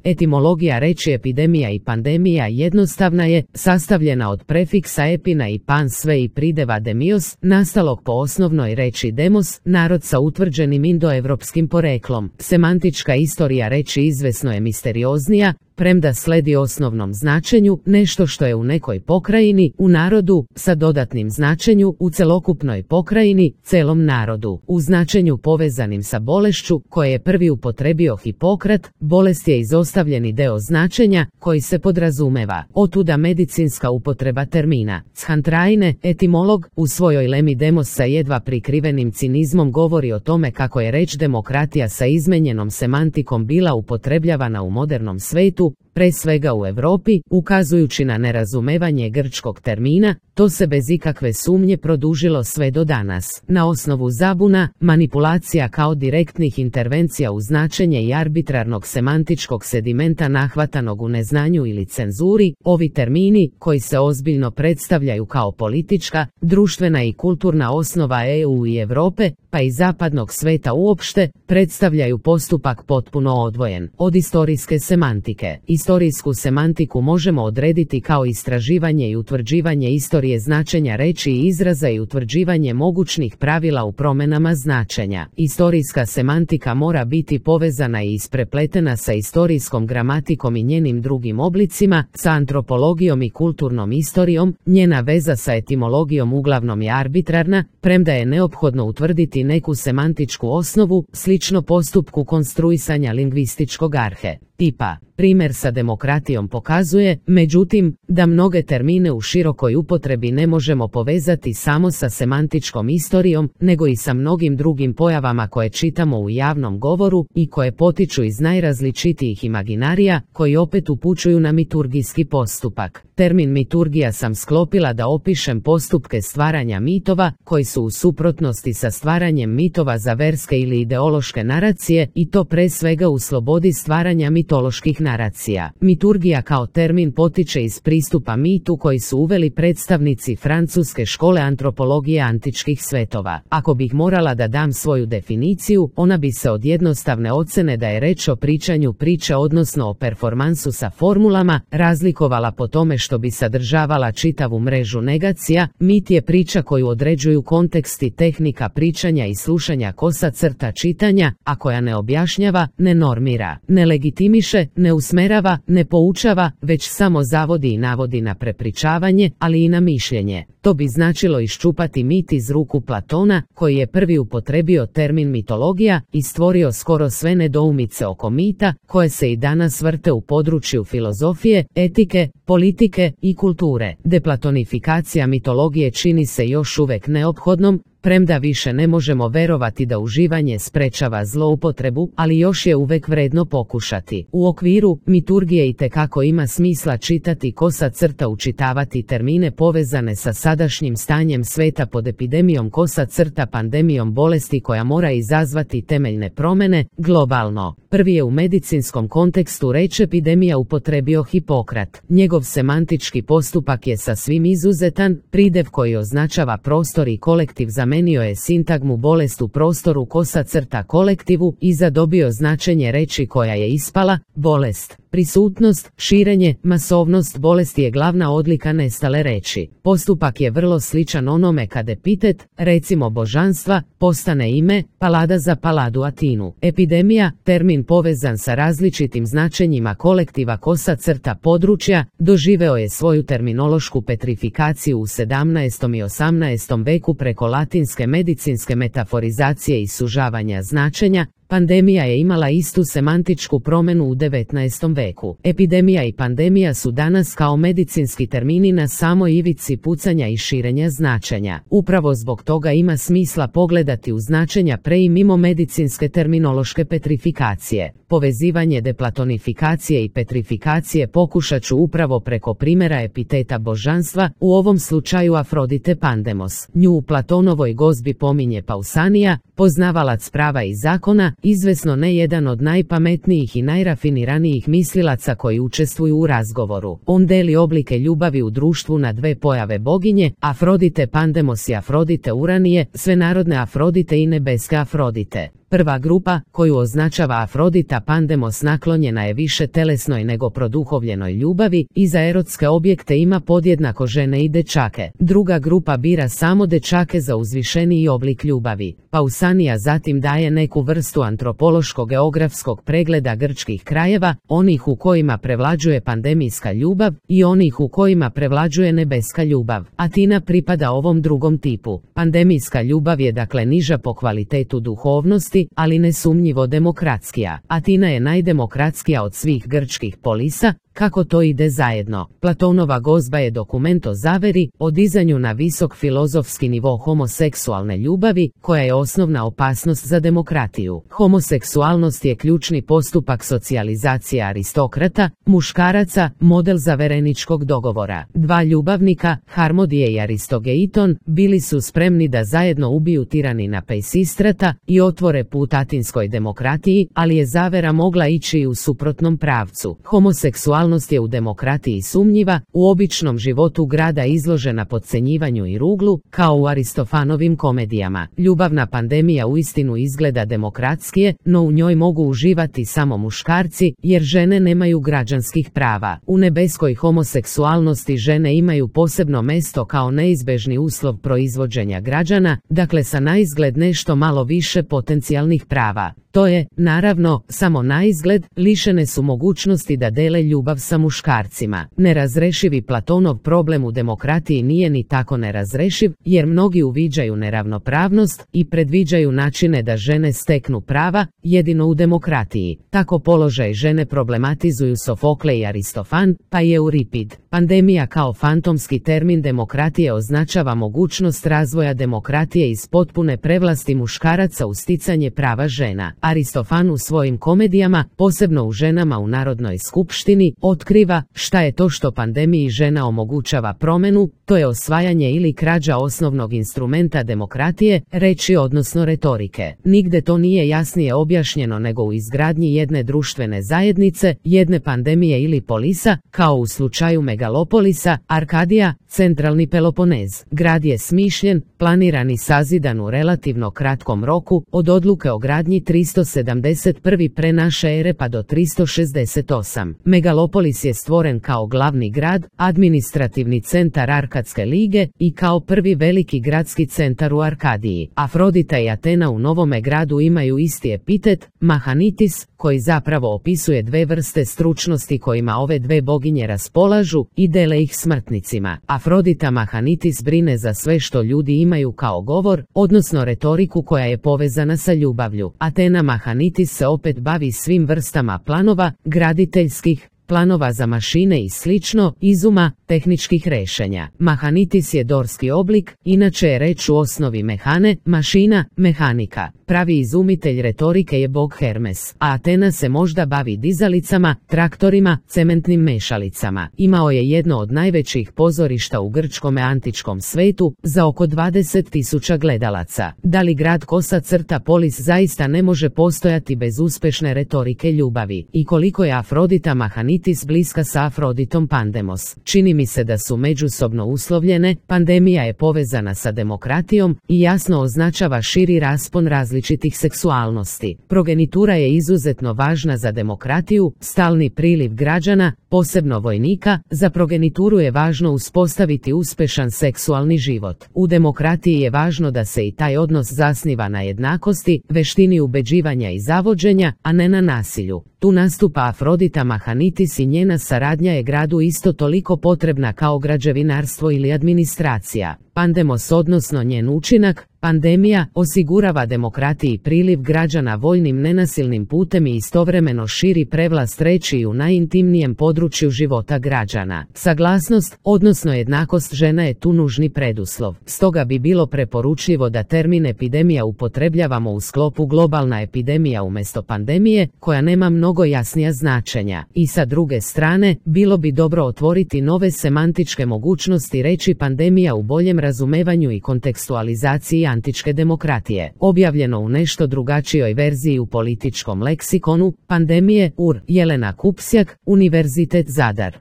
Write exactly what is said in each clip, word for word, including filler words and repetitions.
Etimologija riječi epidemija i pandemija jednostavna je, sastavljena od prefiksa epina i pan sve i prideva demios, nastalog po osnovnoj riječi demos, narod sa utvrđenim indoevropskim poreklom. Semantička istorija riječi izvesno je misterioznija, premda sledi osnovnom značenju, nešto što je u nekoj pokrajini, u narodu, sa dodatnim značenju, u celokupnoj pokrajini, celom narodu. U značenju povezanim sa bolešću, koje je prvi upotrebio Hipokrat, bolest je izostavljeni deo značenja, koji se podrazumeva. Otuda medicinska upotreba termina. Chantraine, etimolog, u svojoj Lemi demos sa jedva prikrivenim cinizmom govori o tome kako je reč demokratija sa izmenjenom semantikom bila upotrebljavana u modernom svetu, pre svega u Europi, ukazujući na nerazumevanje grčkog termina, to se bez ikakve sumnje produžilo sve do danas. Na osnovu zabuna, manipulacija kao direktnih intervencija u značenje i arbitrarnog semantičkog sedimenta nahvatanog u neznanju ili cenzuri, ovi termini, koji se ozbiljno predstavljaju kao politička, društvena i kulturna osnova E U i Europe, pa i zapadnog sveta uopšte, predstavljaju postupak potpuno odvojen od istorijske semantike. Istorijsku semantiku možemo odrediti kao istraživanje i utvrđivanje istorije značenja reči i izraza i utvrđivanje mogućnih pravila u promjenama značenja. Istorijska semantika mora biti povezana i isprepletena sa istorijskom gramatikom i njenim drugim oblicima, sa antropologijom i kulturnom istorijom. Njena veza sa etimologijom uglavnom je arbitrarna, premda je neophodno utvrditi neku semantičku osnovu, slično postupku konstruisanja lingvističkog arhe tipa. Primjer sa demokratijom pokazuje, međutim, da mnoge termine u širokoj upotrebi ne možemo povezati samo sa semantičkom istorijom, nego i sa mnogim drugim pojavama koje čitamo u javnom govoru i koje potiču iz najrazličitijih imaginarija, koji opet upućuju na miturgijski postupak. Termin miturgija sam sklopila da opišem postupke stvaranja mitova, koji su u suprotnosti sa stvaranjem mitova za verske ili ideološke naracije, i to pre svega u slobodi stvaranja mitoloških naracija. Miturgija kao termin potiče iz pristupa mitu koji su uveli predstavnici francuske škole antropologije antičkih svetova. Ako bih morala da dam svoju definiciju, ona bi se od jednostavne ocene da je reč o pričanju priče odnosno o performansu sa formulama, razlikovala po tome što bi sadržavala čitavu mrežu negacija. Mit je priča koju određuju kontekst i tehnika pričanja i slušanja kosa crta čitanja, a koja ne objašnjava, ne normira, ne legitimiše, ne usmerava, ne poučava, već samo zavodi i navodi na prepričavanje, ali i na mišljenje. To bi značilo iščupati mit iz ruku Platona, koji je prvi upotrebio termin mitologija i stvorio skoro sve nedoumice oko mita, koje se i danas vrte u području filozofije, etike, politike i kulture. Deplatonifikacija mitologije čini se još uvek neophodnom, premda više ne možemo verovati da uživanje sprečava zloupotrebu, ali još je uvek vredno pokušati. U okviru miturgije itekako ima smisla čitati kosa crta, učitavati termine povezane sa sadašnjim stanjem sveta pod epidemijom kosa crta, pandemijom bolesti koja mora izazvati temeljne promene, globalno. Prvi je u medicinskom kontekstu reč epidemija upotrebio Hipokrat. Njegov semantički postupak je sasvim izuzetan, pridev koji označava prostor i kolektiv zamenio je sintagmu bolest u prostoru kosa crta kolektivu i zadobio značenje reči koja je ispala, bolest. Prisutnost, širenje, masovnost bolesti je glavna odlika nestale reči. Postupak je vrlo sličan onome kad epitet, recimo božanstva, postane ime, palada za paladu Atinu. Epidemija, termin povezan sa različitim značenjima kolektiva kosa crta područja, doživeo je svoju terminološku petrifikaciju u sedamnaestom i osamnaestom veku preko latinske medicinske metaforizacije i sužavanja značenja. Pandemija je imala istu semantičku promjenu u devetnaestom veku. Epidemija i pandemija su danas kao medicinski termini na samoj ivici pucanja i širenja značenja. Upravo zbog toga ima smisla pogledati u značenja pre i mimo medicinske terminološke petrifikacije. Povezivanje deplatonifikacije i petrifikacije pokušat ću upravo preko primjera epiteta božanstva, u ovom slučaju Afrodite Pandemos. Nju u Platonovoj gozbi pominje Pausanija, poznavalac prava i zakona, izvesno ne jedan od najpametnijih i najrafiniranijih mislilaca koji učestvuju u razgovoru. On deli oblike ljubavi u društvu na dve pojave boginje, Afrodite Pandemos i Afrodite Uranije, svenarodne Afrodite i nebeske Afrodite. Prva grupa, koju označava Afrodita Pandemos, naklonjena je više telesnoj nego produhovljenoj ljubavi i za erotske objekte ima podjednako žene i dečake. Druga grupa bira samo dečake za uzvišeniji oblik ljubavi. Pausanias zatim daje neku vrstu antropološko-geografskog pregleda grčkih krajeva, onih u kojima prevlađuje pandemijska ljubav i onih u kojima prevlađuje nebeska ljubav. Atina pripada ovom drugom tipu. Pandemijska ljubav je dakle niža po kvalitetu duhovnosti, ali nesumnjivo demokratskija. Atina je najdemokratskija od svih grčkih polisa. Kako to ide zajedno? Platonova Gozba je dokument o zaveri, o dizanju na visok filozofski nivo homoseksualne ljubavi, koja je osnovna opasnost za demokratiju. Homoseksualnost je ključni postupak socijalizacije aristokrata, muškaraca, model zavereničkog dogovora. Dva ljubavnika, Harmodije i Aristogeiton, bili su spremni da zajedno ubiju tiranina Peisistrata i otvore put atinskoj demokratiji, ali je zavera mogla ići i u suprotnom pravcu. Homoseksualnost je u demokratiji sumnjiva, u običnom životu grada izložena podcenjivanju i ruglu, kao u Aristofanovim komedijama. Ljubavna pandemija uistinu izgleda demokratskije, no u njoj mogu uživati samo muškarci, jer žene nemaju građanskih prava. U nebeskoj homoseksualnosti žene imaju posebno mesto kao neizbežni uslov proizvođenja građana, dakle sa naizgled nešto malo više potencijalnih prava. To je, naravno, samo naizgled, lišene su mogućnosti da dele ljubav sa muškarcima. Nerazrešivi Platonov problem u demokratiji nije ni tako nerazrešiv, jer mnogi uviđaju neravnopravnost i predviđaju načine da žene steknu prava, jedino u demokratiji. Tako položaj žene problematizuju Sofokle i Aristofan, pa i Euripid. Pandemija kao fantomski termin demokratije označava mogućnost razvoja demokratije iz potpune prevlasti muškaraca u sticanje prava žena. Aristofan u svojim komedijama, posebno u Ženama u Narodnoj skupštini, otkriva šta je to što pandemiji žena omogućava promjenu, to je osvajanje ili krađa osnovnog instrumenta demokratije, reči odnosno retorike. Nigde to nije jasnije objašnjeno nego u izgradnji jedne društvene zajednice, jedne pandemije ili polisa, kao u slučaju Megalopolisa, Arkadija, centralni Peloponez. Grad je smišljen, planiran i sazidan u relativno kratkom roku, od odluke o gradnji tristo sedamdeset prve pre naše ere pa do tristo šezdeset osme. Megalopolis je stvoren kao glavni grad, administrativni centar Arkadske lige i kao prvi veliki gradski centar u Arkadiji. Afrodita i Atena u novome gradu imaju isti epitet, Mahanitis, koji zapravo opisuje dve vrste stručnosti kojima ove dve boginje raspolažu i dele ih smrtnicima. Afrodita Mahanitis brine za sve što ljudi imaju kao govor, odnosno retoriku koja je povezana sa ljubavlju. Atena Mahanitis se opet bavi svim vrstama planova, graditeljskih, planova za mašine i slično, izuma, tehničkih rešenja. Mahanitis je dorski oblik, inače je reč u osnovi mehane, mašina, mehanika. Pravi izumitelj retorike je bog Hermes, a Atena se možda bavi dizalicama, traktorima, cementnim mešalicama. Imao je jedno od najvećih pozorišta u grčkome antičkom svetu, za oko dvadeset tisuća gledalaca. Da li grad kosa crta polis zaista ne može postojati bez uspešne retorike ljubavi? I koliko je Afrodita Mahanitis bliska sa Afroditom Pandemos? Čini mi se da su međusobno uslovljene, pandemija je povezana sa demokratijom i jasno označava širi raspon različitih seksualnosti. Progenitura je izuzetno važna za demokratiju, stalni priliv građana, posebno vojnika, za progenituru je važno uspostaviti uspešan seksualni život. U demokratiji je važno da se i taj odnos zasniva na jednakosti, veštini ubeđivanja i zavođenja, a ne na nasilju. Tu nastupa Afrodita Mahanitis i njena saradnja je gradu isto toliko potrebna kao građevinarstvo ili administracija. Pandemos, odnosno njen učinak, pandemija, osigurava demokratiji priliv građana voljnim nenasilnim putem i istovremeno širi prevlast reči i u najintimnijem području života građana. Saglasnost, odnosno jednakost žena je tu nužni preduslov. Stoga bi bilo preporučljivo da termin epidemija upotrebljavamo u sklopu globalna epidemija umjesto pandemije, koja nema mnogo jasnija značenja. I sa druge strane, bilo bi dobro otvoriti nove semantičke mogućnosti reći pandemija u boljem razumevanju i kontekstualizaciji antičke demokratije. Objavljeno u nešto drugačijoj verziji u političkom leksikonu, pandemije, U R, Jelena Kupsjak, Univerzitet Zadar.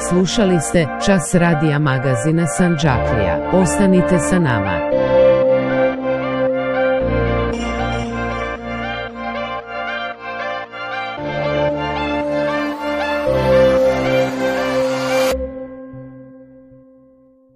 Slušali ste Čas radija magazina Sandžaklija. Ostanite sa nama.